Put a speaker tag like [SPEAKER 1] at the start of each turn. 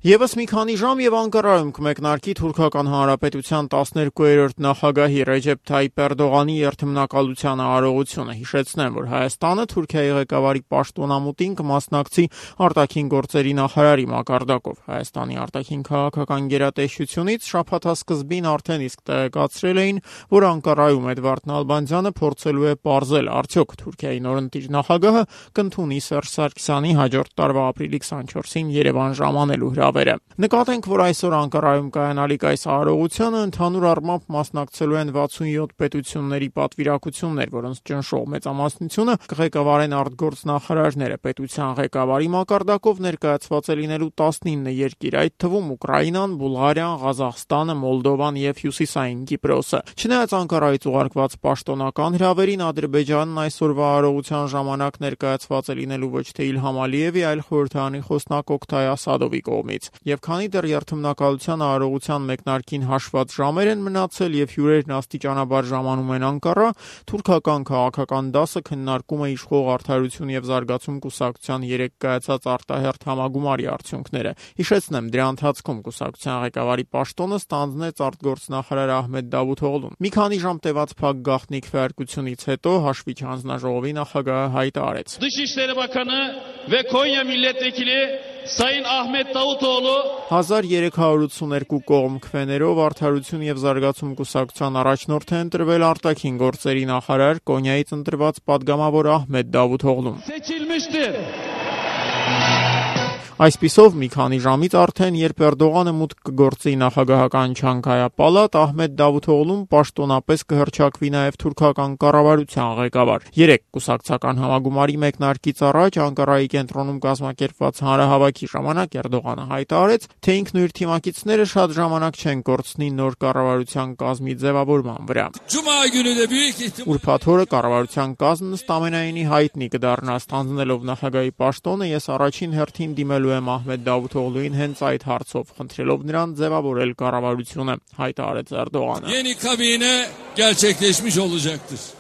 [SPEAKER 1] Եվս մի քանի ժամ եւ Անկարայում կմեկնարկի Թուրքական Հանրապետության 12-րդ նախագահի Ռեջեփ Թայիփ Էրդողանի երթմնակալության արարողությունը։ Հիշեցնեմ, որ Հայաստանը Թուրքիայի ղեկավարի պաշտոնամուտին կմասնակցի արտաքին գործերի նախարարի մակարդակով։ Հայաստանի արտաքին քաղաքական գերատեսչությունից շաբաթասկզբին արդեն իսկ տեղեկացրել էին, որ Անկարայում Էդվարդ Նալբանդյանը փորձելու է պարզել, արդյոք Թուրքիայի նորընտիր նախագահը կընդունի Սերժ Սարգսյանի հաջորդ տարվա ապրիլի 24-ին Երևան ժամանելու Նկատենք, որ այսօր Անկարայում կայանալիք այս արարողությանը ընդհանուր առմամբ մասնակցելու են 67 պետությունների պատվիրակություններ, որոնց ճնշող մեծամասնությունը կղեկավարեն արտգործնախարարները։ Պետության ղեկավարի մակարդակով ներկայացված է լինելու 19 երկիր, այդ թվում Ուկրաինան, Բուլղարիան, Ղազախստանը, Մոլդովան եւ Հյուսիսային Կիպրոսը։ Չնայած Անկարայից ուղարկված պաշտոնական հրավերին, Ադրբեջանն այսօրվա արարողության ժամանակ ներկայացված է լինելու ոչ թե Իլհամ Ալիևի, այլ խորհրդարանի խոսնակ Օկթայ Ասադովի կողմից։ Եվ քանի դեռ երթմնակալության արարողության մեկնարկին հաշված ժամեր են մնացել եւ հյուրերն աստիճանաբար ժամանում են Անկարա, թուրքական քաղաքական դասը քննարկում է իշխող Արդարություն եւ զարգացում կուսակցության 3 կայացած արտահերթ համագումարի արդյունքները։ Հիշեցնեմ, դրա ընթացքում կուսակցության ղեկավարի պաշտոնը ստանձնեց արտգործնախարար Ահմեդ Դավութօղլուն։ Մի քանի ժամ տևած փակ գաղտնի քվեարկությունից հետո հաշվիչ հանձնաժողովի նախագահը հայտարարեց.
[SPEAKER 2] Dışişleri Bakanı ve Konya Milletvekili Sayın Ahmet Davutoğlu
[SPEAKER 1] 1382 կողմ քվեներով Արդարություն եւ զարգացում կուսակցության առաջնորդ է ընտրվել արտաքին գործերի նախարար Կոնյայից ընտրված падգամավոր Ահմեդ Դավութօղլուն։
[SPEAKER 2] seçilmiştir.
[SPEAKER 1] Այսպիսով մի քանի ժամից արդեն, երբ Էրդողանը մուտք կգործի նախագահական չանկայապալատ, Ահմեդ Դավութօղլուն պաշտոնապես կհռչակվի նաև թուրքական կառավարության ղեկավար։ 3 կուսակցական համագումարի մեկնարկից առաջ Անկարայի կենտրոնում կազմակերպված հանրահավաքի ժամանակ Էրդողանը հայտարարեց, թե ինքն ու իր թիմակիցները շատ ժամանակ չեն կորցնի նոր կառավարության կազմի ձևավորման վրա։ Ուրբաթ օրը կառավարության կազմն ըստ ամենայնի հայտնի կդառնա, ստանձնելով նախագահի պաշտոնը, ես առաջին հերթին դիմելու եմ Ահմեդ Դավութօղլուին հենց այդ հարցով, խնդրելով նրան ձևավորել կառավարությունը, հայտարարեց Էրդողանը։
[SPEAKER 3] Yeni kabine gerçekleşmiş olacaktır.